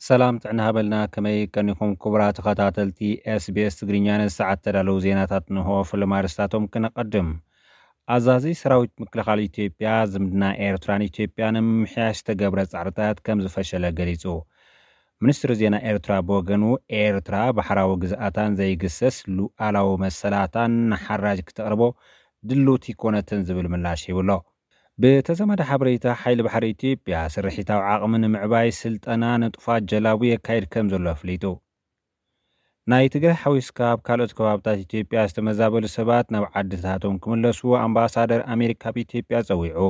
ሰላም ጥዕና ሃበልና፣ ከመይ ቀኒኹም ክቡራት ተኸታተልቲ ኤስቢኤስ ትግርኛ? ነዚ ሰዓት ተዳለዉ ዜናታት ንሆ። ፍልም ኣርስታቶም ክነቐድም። ኣዛዚ ሰራዊት ምክልኻል ኢትዮጵያ ዝምድና ኤርትራን ኢትዮጵያን ንምምሕያሽ ዝተገብረ ጻዕርታት ከም ዝፈሸለ ገሊጹ። ሚኒስትሪ ዜና ኤርትራ ብወገኑ፣ ኤርትራ ባሕራዊ ግዝኣታን ዘይግሰስ ሉኣላዊ መሰላታን ንሓራጅ ክተቕርቦ ድልውቲ ኮነትን ዝብል ምላሽ ሂብሎ። ብተዘመደ ሓበሬታ፣ ሓይሊ ባሕሪ ኢትዮጵያ ስርሒታዊ ዓቕሚ ንምዕባይ ስልጠና ንጡፋት ጀላቡ የካይድ ከም ዘሎ ኣፍሊጡ። ናይ ትግራይ ሓዊስካ ኣብ ካልኦት ከባብታት ኢትዮጵያ ዝተመዛበሉ ሰባት ናብ ዓድታቶም ክምለሱ ኣምባሳደር ኣሜሪካ ኣብ ኢትዮጵያ ጸዊዑ።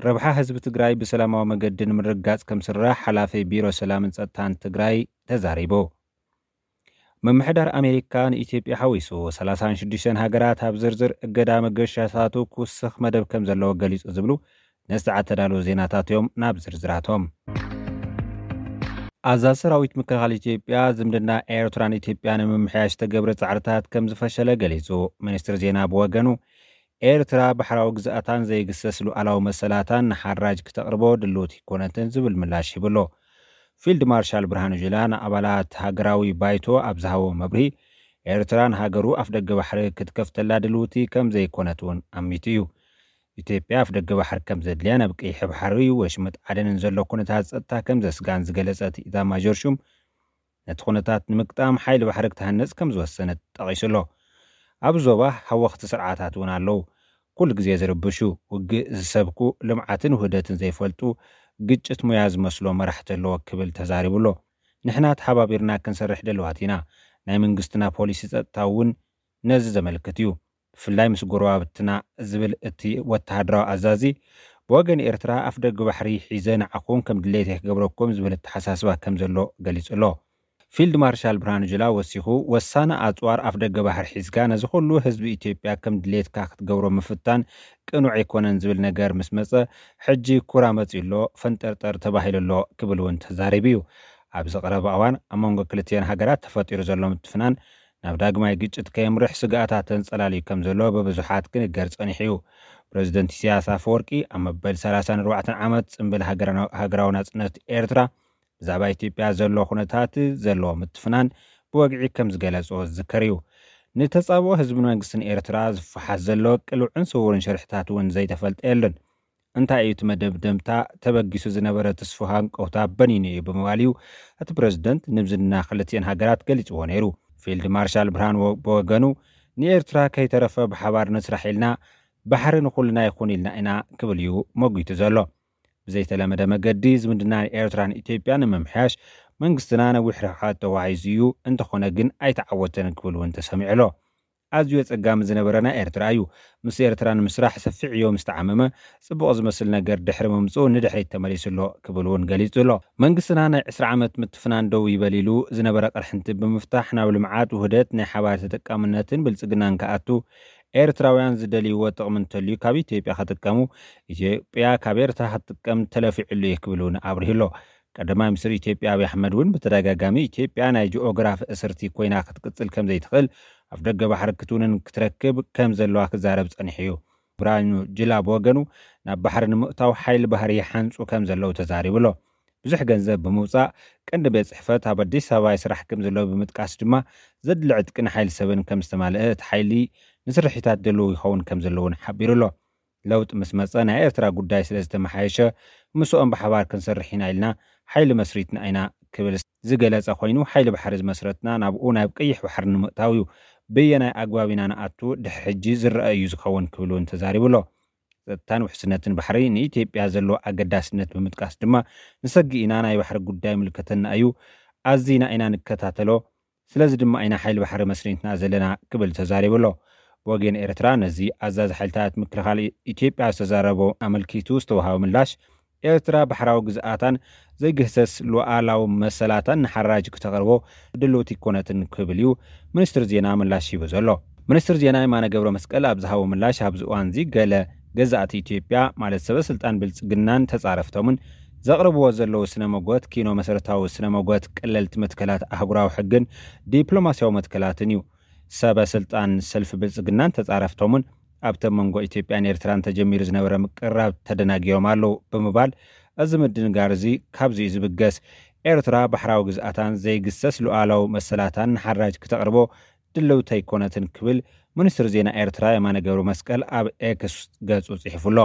ረብሓ ህዝቢ ትግራይ ብሰላማዊ መገዲ ንምርግጋጽ ከም ስራሕ ሓላፊ ቢሮ ሰላምን ጸጥታን ትግራይ ተዛሪቡ። ምምሕዳር ኣሜሪካ ንኢትዮጵያ ሓዊሱ ሰላሳን ሽዱሽተን ሃገራት ኣብ ዝርዝር እገዳ መገሻታቱ ክውስኽ መደብ ከም ዘለዎ ገሊጹ ዝብሉ ነዚ ሰዓት ተዳለዉ ዜናታት እዮም። ናብ ዝርዝራቶም። ኣዛዚ ሰራዊት ምክልኻል ኢትዮጵያ ዝምድና ኤርትራን ኢትዮጵያን ንምምሕያሽ ዝተገብረ ጻዕርታት ከም ዝፈሸለ ገሊጹ። ሚኒስትሪ ዜና ብወገኑ፣ ኤርትራ ባሕራዊ ግዝኣታን ዘይግሰስ ሉኣላዊ መሰላታን ንሓራጅ ክተቕርቦ ድልውቲ ኣይኮነትን ዝብል ምላሽ ሂብሎ። ፊልድ ማርሻል ብርሃኑ ጁላ ንኣባላት ሃገራዊ ባይቶ ኣብ ዝሃቦ መብርሂ፣ ኤርትራ ንሃገሩ ኣፍደገ ባሕሪ ክትከፍተላ ድልውቲ ከም ዘይኮነት እውን ኣሚቱ እዩ። ኢትዮጵያ ኣፍደገ ባሕሪ ከም ዘድልያን ኣብ ቀይሕ ባሕሪ ወሽመጥ ዓደንን ዘሎ ኩነታት ጸጥታ ከም ዘስጋን ዝገለጸ እቲ ኢታማዦር ሹም፣ ነቲ ኩነታት ንምግጣም ሓይሊ ባሕሪ ክትሃንጽ ከም ዝወሰነት ጠቒሱ ኣሎ። ኣብ ዞባ ሃወኽቲ ስርዓታት እውን ኣለዉ። ኩሉ ግዜ ዝርብሹ፣ ውግእ ዝሰብኩ፣ ልምዓትን ውህደትን ዘይፈልጡ፣ ግጭት ሙያ ዝመስሎ መራሕቲ ኣለዎ ክብል ተዛሪቡ ኣሎ። ንሕና ተሓባቢርና ክንሰርሕ ድሉዋት ኢና። ናይ መንግስትና ፖሊሲ ጸጥታ እውን ነዚ ዘመልክት እዩ። ብፍላይ ምስ ጎረባብትና ዝብል እቲ ወተሃደራዊ ኣዛዚ፣ ብወገን ኤርትራ ኣፍደገ ባሕሪ ሒዘ ንዓኹም ከም ድሌተይ ክገብረኩም ዝብል ኣተሓሳስባ ከም ዘሎ ገሊጹ ኣሎ። ፊልድ ማርሻል ብርሃኑ ጁላ ወሲኹ፣ ወሳኒ ኣጽዋር ኣፍደገ ባሕሪ ሒዝካ ነዚ ኩሉ ህዝቢ ኢትዮጵያ ከም ድሌትካ ክትገብሮ ምፍታን ቅኑዕ ኣይኮነን ዝብል ነገር ምስ መጸ፣ ሕጂ ኩራ መጺኡ ኣሎ፣ ፈንጠርጠር ተባሂሉ ኣሎ ክብል እውን ተዛሪቡ እዩ። ኣብዚ ቀረባ እዋን ኣብ መንጎ ክልቲኤን ሃገራት ተፈጢሩ ዘሎ ምትፍናን ናብ ዳግማይ ግጭት ከየምርሕ ስግኣታት ተንጸላልዩ ከም ዘሎ ብብዙሓት ክንገር ጸኒሑ እዩ። ፕረዚደንት ኢሳያስ ኣፈወርቂ ኣብ መበል ሰላሳን ኣርባዕተን ዓመት ጽምብል ሃገራዊ ናጽነት ኤርትራ ብዛዕባ ኢትዮጵያ ዘሎ ኩነታት ዘለዎ ምትፍናን ብወግዒ ከም ዝገለጾ ዝዝከር እዩ። ንተጻብኦ ህዝብን መንግስትን ኤርትራ ዝፈሓስ ዘሎ ቅሉዕን ስውርን ሽርሕታት እውን ዘይተፈልጠ የለን። እንታይ እዩ እቲ መደምደምታ? ተበጊሱ ዝነበረ ትስፉ ሃንቀውታ በኒኑ እዩ ብምባል እዩ እቲ ፕረዚደንት ንዝምድና ክልቲኤን ሃገራት ገሊጽዎ ነይሩ። ፊልድ ማርሻል ብርሃኑ ብወገኑ፣ ንኤርትራ ከይተረፈ ብሓባር ንስራሕ ኢልና፣ ባሕሪ ንኹልና ይኹን ኢልና ኢና ክብል እዩ መጒቱ ዘሎ። ብዘይተለመደ መገዲ ዝምድና ኤርትራን ኢትዮጵያን ንምምሕያሽ መንግስትና ነዊሕ ርሕቀት ተጓዒዙ እዩ፣ እንተኾነ ግን ኣይተዓወተን ክብል እውን ተሰሚዑ ኣሎ። ኣዝዩ ኣጸጋሚ ዝነበረ ናይ ኤርትራ እዩ። ምስ ኤርትራ ንምስራሕ ሰፊሕ ዕዮ ምስ ተዓመመ፣ ጽቡቕ ዝመስል ነገር ድሕሪ ምምጽኡ ንድሕሪት ተመሊሱ ኣሎ ክብል እውን ገሊጹ ኣሎ። መንግስትና ናይ ዕስራ ዓመት ምትፍናን ደው ይበል ኢሉ ዝነበረ ቅርሕንቲ ብምፍታሕ ናብ ልምዓት፣ ውህደት፣ ናይ ሓባር ተጠቃምነትን ብልጽግናን ክኣቱ፣ ኤርትራውያን ዝደልይዎ ጥቕሚ እንተልዩ ካብ ኢትዮጵያ ክጥቀሙ፣ ኢትዮጵያ ካብ ኤርትራ ክትጥቀም ተለፊዑሉ እዩ ክብል እውን ኣብሪሁ ኣሎ። ቀዳማይ ሚኒስትር ኢትዮጵያ ኣብይ ኣሕመድ እውን ብተደጋጋሚ ኢትዮጵያ ናይ ጂኦግራፊ እስርቲ ኮይና ክትቅጽል ከም ዘይትኽእል፣ ኣፍደገ ባሕሪ ክትውንን ክትረክብ ከም ዘለዋ ክዛረብ ጸኒሑ እዩ። ብርሃኑ ጁላ ብወገኑ፣ ናብ ባሕሪ ንምእታው ሓይሊ ባሕሪ ይሓንጹ ከም ዘለዉ ተዛሪቡ ኣሎ። ብዙሕ ገንዘብ ብምውጻእ ቀንዲ ቤት ጽሕፈት ኣብ ኣዲስ ኣበባ ይስራሕ ከም ዘሎ ብምጥቃስ ድማ፣ ዘድሊ ዕጥቅን ሓይሊ ሰብን ከም ዝተማልአ፣ እቲ ሓይሊ ንስርሒታት ድሉው ይኸውን ከም ዘሎ እውን ሓቢሩ ኣሎ። ለውጢ ምስ መጸ ናይ ኤርትራ ጉዳይ ስለ ዝተመሓየሸ፣ ምስኦም ብሓባር ክንሰርሕ ኢና ኢልና ሓይሊ መስሪትና ኢና ክብል ዝገለጸ ኮይኑ፣ ሓይሊ ባሕሪ ዝመስረትና ናብኡ ናብ ቀይሕ ባሕሪ ንምእታው እዩ። በየናይ ኣግባብ ኢና ንኣቱ ድሕሪ ሕጂ ዝረአ እዩ ዝኸውን ክብል እውን ተዛሪቡ ኣሎ። ጸጥታን ውሕስነትን ባሕሪ ንኢትዮጵያ ዘለዎ ኣገዳስነት ብምጥቃስ ድማ፣ ንሰግእ ኢና፣ ናይ ባሕሪ ጉዳይ ምልከተና እዩ፣ ኣዚና ኢና ንከታተሎ፣ ስለዚ ድማ ኢና ሓይሊ ባሕሪ መስሪትና ዘለና ክብል ተዛሪቡ ኣሎ። ብወገን ኤርትራ ነዚ ኣዛዚ ሓይልታት ምክልኻል ኢትዮጵያ ዝተዛረቦ ኣመልኪቱ ዝተዋሃበ ምላሽ፣ ኤርትራ ባሕራዊ ግዝኣታን ዘይግህሰስ ሉኣላዊ መሰላታን ንሓራጅ ክተቕርቦ ድልውቲ ኣይኮነትን ክብል እዩ ሚኒስትሪ ዜና ምላሽ ሂቡ ዘሎ። ሚኒስትሪ ዜና የማነ ገብረ መስቀል ኣብ ዝሃቦ ምላሽ፣ ኣብዚ እዋን እዚ ገለ ገዛእቲ ኢትዮጵያ ማለት ሰበ ስልጣን ብልጽግናን ተጻረፍቶምን ዘቕርብዎ ዘለዉ ስነ መጎት ኪኖ መሰረታዊ ስነ መጎት ቀለልቲ መትከላት ኣህጉራዊ ሕግን ዲፕሎማስያዊ መትከላትን እዩ። ሰበ ስልጣን ሰልፊ ብልጽግናን ተጻረፍቶምን ኣብቲ መንጎ ኢትዮጵያን ኤርትራን ተጀሚሩ ዝነበረ ምቅርራብ ተደናጊሮም ኣለዉ ብምባል፣ እዚ ምድንጋር እዚ ካብዚ እዩ ዝብገስ። ኤርትራ ባሕራዊ ግዝኣታን ዘይግሰስ ሉዓላዊ መሰላታን ንሓራጅ ክተቕርቦ ድልውቲ ኣይኮነትን ክብል ሚኒስትር ዜና ኤርትራ የማነ ገብረ መስቀል ኣብ ኤክስ ገጹ ጽሒፉ ኣሎ።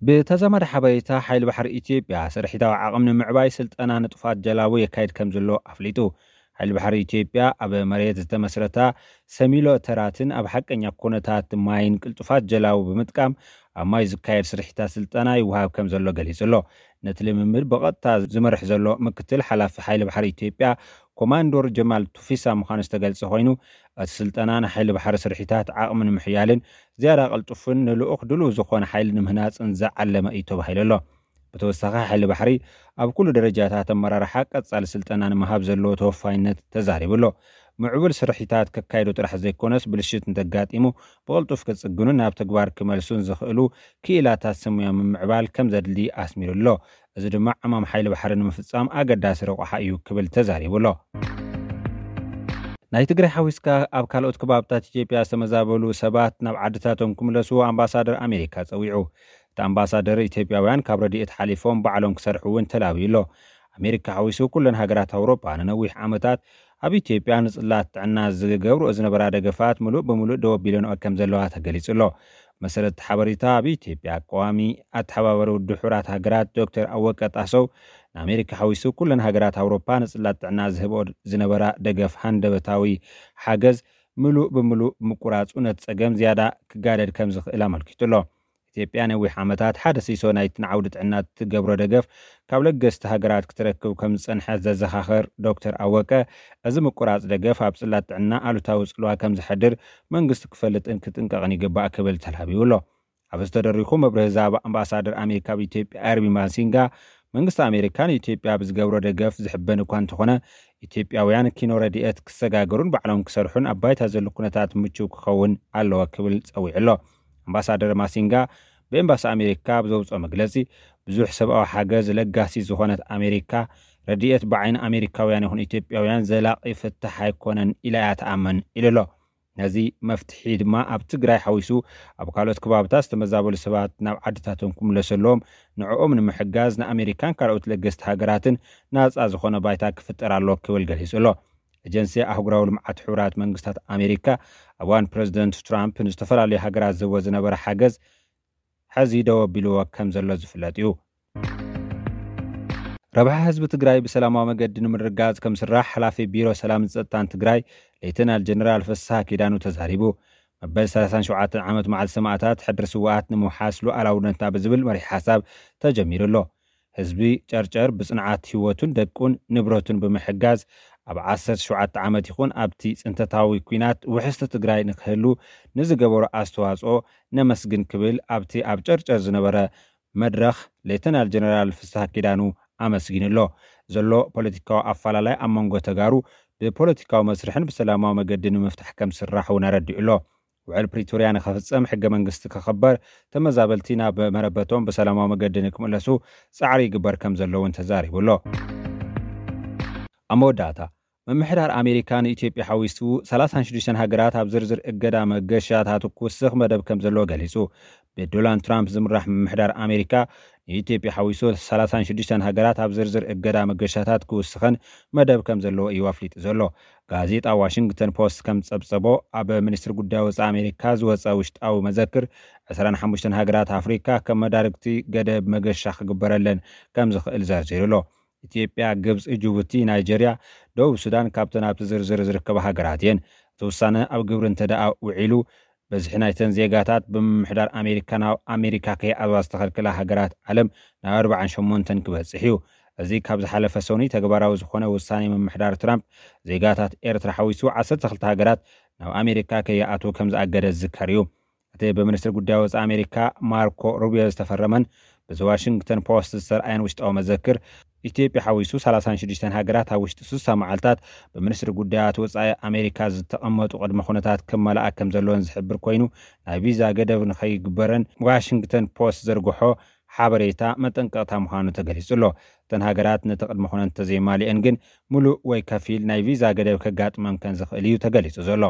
ብተዛማዲ ሓበሬታ፣ ሓይሊ ባሕሪ ኢትዮጵያ ስርሒታዊ ዓቕሚ ንምዕባይ ስልጠና ንጡፋት ጀላቡ የካይድ ከም ዘሎ ኣፍሊጡ። ሓይሊ ባሕሪ ኢትዮጵያ ኣብ መሬት ዝተመስረታ ሰሚሎተራትን ኣብ ሓቀኛ ኩነታት ማይን ቅልጡፋት ጀላቡ ብምጥቃም ኣብ ማይ ዝካየድ ስርሒታት ስልጠና ይወሃብ ከም ዘሎ ገሊጹ ኣሎ። ነቲ ልምምድ ብቐጥታ ዝመርሕ ዘሎ ምክትል ሓላፊ ሓይሊ ባሕሪ ኢትዮጵያ ኮማንዶር ጀማል ቱፊሳ ምዃኑ ዝተገልጸ ኮይኑ፣ እቲ ስልጠና ንሓይሊ ባሕሪ ስርሒታት ዓቕሚ ንምሕያልን ዝያዳ ቅልጡፍን ንልኡኽ ድሉው ዝኾነ ሓይሊ ንምህናጽን ዝዓለመ እዩ ተባሂሉ ኣሎ። ብተወሳኺ ሓይሊ ባሕሪ ኣብ ኩሉ ደረጃታት ኣመራርሓ ቀጻሊ ስልጠና ንምሃብ ዘለዎ ተወፋይነት ተዛሪቡ ኣሎ። ምዕቡል ስርሒታት ከካይዱ ጥራሕ ዘይኮነስ ብልሽት እንተጋጢሙ ብቕልጡፍ ክጽግኑን ናብ ተግባር ክመልሱን ዝኽእሉ ክኢላታት ስሙያ ምምዕባል ከም ዘድሊ ኣስሚሩ ኣሎ። እዚ ድማ ዕማም ሓይሊ ባሕሪ ንምፍጻም ኣገዳሲ ረቑሓ እዩ ክብል ተዛሪቡ ኣሎ። ናይ ትግራይ ሓዊስካ ኣብ ካልኦት ከባብታት ኢትዮጵያ ዝተመዛበሉ ሰባት ናብ ዓድታቶም ክምለሱ ኣምባሳደር ኣሜሪካ ጸዊዑ። እቲ ኣምባሳደር ኢትዮጵያውያን ካብ ረድኤት ሓሊፎም ባዕሎም ክሰርሑ እውን ተላብዩ ኣሎ። ኣሜሪካ ሓዊሱ ኩለን ሃገራት ኣውሮጳ ንነዊሕ ዓመታት ኣብ ኢትዮጵያ ንጽላት ጥዕና ዝገብርኦ ዝነበራ ደገፋት ምሉእ ብምሉእ ደው ኣቢለንኦ ከም ዘለዋ ተገሊጹ ኣሎ። መሰረት ሓበሬታ ኣብ ኢትዮጵያ ቀዋሚ ኣተሓባባሪ ውድብ ሕቡራት ሃገራት ዶክተር ኣወቀ ጣሰው ንኣሜሪካ ሓዊሱ ኩለን ሃገራት ኣውሮፓ ንጽላት ጥዕና ዝህብኦ ዝነበራ ደገፍ ሃንደበታዊ ሓገዝ ምሉእ ብምሉእ ምቁራጹ ነቲ ጸገም ዝያዳ ክጋደድ ከም ዝኽእል ኣመልኪቱ ኣሎ። ኢትዮጵያ ነዊሕ ዓመታት ሓደ ሲሶ ናይቲ ንዓውዲ ጥዕና እትገብሮ ደገፍ ካብ ለገስቲ ሃገራት ክትረክብ ከም ዝጸንሐት ዘዘኻኸር ዶክተር ኣወቀ፣ እዚ ምቁራጽ ደገፍ ኣብ ጽላት ጥዕና ኣሉታዊ ጽልዋ ከም ዘሕድር መንግስቲ ክፈልጥን ክጥንቀቕን ይግባእ ክብል ተላቢዩ ኣሎ። ኣብ ዝተደሪኹ መብርሂ ዛባ ኣምባሳደር ኣሜሪካ ኣብ ኢትዮጵያ ኣርቪን ማሲንጋ፣ መንግስቲ ኣሜሪካ ንኢትዮጵያ ብዝገብሮ ደገፍ ዝሕበን እኳ እንተኾነ፣ ኢትዮጵያውያን ኪኖ ረድኤት ክሰጋገሩን ባዕሎም ክሰርሑን ኣብ ባይታ ዘሎ ኩነታት ምቹው ክኸውን ኣለዎ ክብል ጸዊዑ ኣሎ። ኣምባሳደር ማሲንጋ ብኤምባሲ ኣሜሪካ ኣብ ዘውፅኦ መግለፂ፣ ብዙሕ ሰብኣዊ ሓገዝ ለጋሲ ዝኾነት ኣሜሪካ፣ ረድኤት ብዓይኒ ኣሜሪካውያን ይኹን ኢትዮጵያውያን ዘላቒ ፍታሕ ኣይኮነን ኢላ እያ ትኣምን ኢሉ ኣሎ። ነዚ መፍትሒ ድማ ኣብ ትግራይ ሓዊሱ ኣብ ካልኦት ከባብታት ዝተመዛበሉ ሰባት ናብ ዓድታቶም ክምለሰሎም ንዕኦም ንምሕጋዝ ንኣሜሪካን ካልኦት ለገስቲ ሃገራትን ናፃ ዝኾነ ባይታ ክፍጠር ኣሎ ክብል ገሊጹ ኣሎ። ኤጀንሲ ኣህጉራዊ ልምዓት ሕቡራት መንግስታት ኣሜሪካ ኣብ እዋን ፕረዚደንት ትራምፕ ንዝተፈላለዩ ሃገራት ዝህቦ ዝነበረ ሓገዝ ሕዚ ደው ኣቢልዎ ከም ዘሎ ዝፍለጥ እዩ። ረብሓ ህዝቢ ትግራይ ብሰላማዊ መገዲ ንምርጋፅ ከም ስራሕ ሓላፊ ቢሮ ሰላምን ፀጥታን ትግራይ ሌተናል ጀነራል ፍስሃ ኪዳኑ ተዛሪቡ። መበል ሰላሳን ሸውዓተን ዓመት መዓልቲ ሰማእታት ሕድሪ ስውኣት ንምውሓስ ሉዓላውነትና ብዝብል መሪሕ ሓሳብ ተጀሚሩ ኣሎ። ህዝቢ ጨርጨር ብፅንዓት ህይወቱን ደቁን ንብረቱን ብምሕጋዝ ኣብ ዓሰርተ ሸውዓተ ዓመት ይኹን ኣብቲ ፅንተታዊ ኲናት ውሕስቲ ትግራይ ንክህሉ ንዝገበሮ ኣስተዋፅኦ ነመስግን ክብል ኣብቲ ኣብ ጨርጨር ዝነበረ መድረኽ ሌተናል ጀነራል ፍስሃ ኪዳኑ ኣመስጊኑ ኣሎ። ዘሎ ፖለቲካዊ ኣፈላላይ ኣብ መንጎ ተጋሩ ብፖለቲካዊ መስርሕን ብሰላማዊ መገዲ ንምፍታሕ ከም ዝስራሕ እውን ኣረዲኡ ኣሎ። ውዕል ፕሪቶርያ ንኸፍጸም፣ ሕገ መንግስቲ ክኽበር፣ ተመዛበልቲ ናብ መረበቶም ብሰላማዊ መገዲ ንክምለሱ ጻዕሪ ይግበር ከም ዘሎ እውን ተዛሪቡ ኣሎ። ኣብ መወዳእታ፣ ምምሕዳር ኣሜሪካ ንኢትዮጵያ ሓዊሱ ሰላሳን ሽዱሽተን ሃገራት ኣብ ዝርዝር እገዳ መገሻታቱ ክውስኽ መደብ ከም ዘለዎ ገሊጹ። ብዶናልድ ትራምፕ ዝምራሕ ምምሕዳር ኣሜሪካ ንኢትዮጵያ ሓዊሱ ሰላሳን ሽዱሽተን ሃገራት ኣብ ዝርዝር እገዳ መገሻታት ክውስኸን መደብ ከም ዘለዎ እዩ ኣፍሊጡ ዘሎ። ጋዜጣ ዋሽንግተን ፖስት ከም ዝጸብጸቦ፣ ኣብ ሚኒስትሪ ጉዳይ ወጻኢ ኣሜሪካ ዝወጸ ውሽጣዊ መዘክር፣ ዕስራን ሓሙሽተን ሃገራት ኣፍሪካ ከም መዳርግቲ ገደብ መገሻ ክግበረለን ከም ዝኽእል ዘርዚሩ ኣሎ። ኢትዮጵያ፣ ግብጺ፣ ጅቡቲ፣ ናይጀርያ፣ ደቡብ ሱዳን ካብተን ኣብቲ ዝርዝር ዝርከባ ሃገራት እየን። እቲ ውሳነ ኣብ ግብሪ እንተ ደኣ ውዒሉ፣ በዝሒ ናይተን ዜጋታት ብምምሕዳር ኣሜሪካ ናብ ኣሜሪካ ከይኣትዋ ዝተኸልከላ ሃገራት ዓለም ናብ ኣርባዓን ሸሞንተን ክበጽሕ እዩ። እዚ ካብ ዝሓለፈ ሰኑይ ተግባራዊ ዝኾነ ውሳኔ ምምሕዳር ትራምፕ፣ ዜጋታት ኤርትራ ሓዊሱ ዓሰርተ ክልተ ሃገራት ናብ ኣሜሪካ ከይኣትዉ ከም ዝኣገደ ዝዝከር እዩ። እቲ ብሚኒስትሪ ጉዳይ ወጻኢ ኣሜሪካ ማርኮ ሩቢዮ ዝተፈረመን ብዚ ዋሽንግተን ፖስት ዝተርኣየን ውሽጣዊ መዘክር፣ ኢትዮጵያ ሓዊሱ ሰላሳን ሽዱሽተን ሃገራት ኣብ ውሽጢ ስሳ መዓልታት ብሚኒስትሪ ጉዳያት ወጻኢ ኣሜሪካ ዝተቐመጡ ቅድመ ኩነታት ክመልኣ ከም ዘለወን ዝሕብር ኮይኑ፣ ናይ ቪዛ ገደብ ንኸይግበረን ዋሽንግተን ፖስት ዘርግሖ ሓበሬታ መጠንቀቕታ ምዃኑ ተገሊጹ ኣሎ። እተን ሃገራት ነቲ ቅድመ ኩነት እንተዘይማሊአን ግን፣ ምሉእ ወይ ከፊል ናይ ቪዛ ገደብ ከጋጥመን ከም ዝኽእል እዩ ተገሊጹ ዘሎ።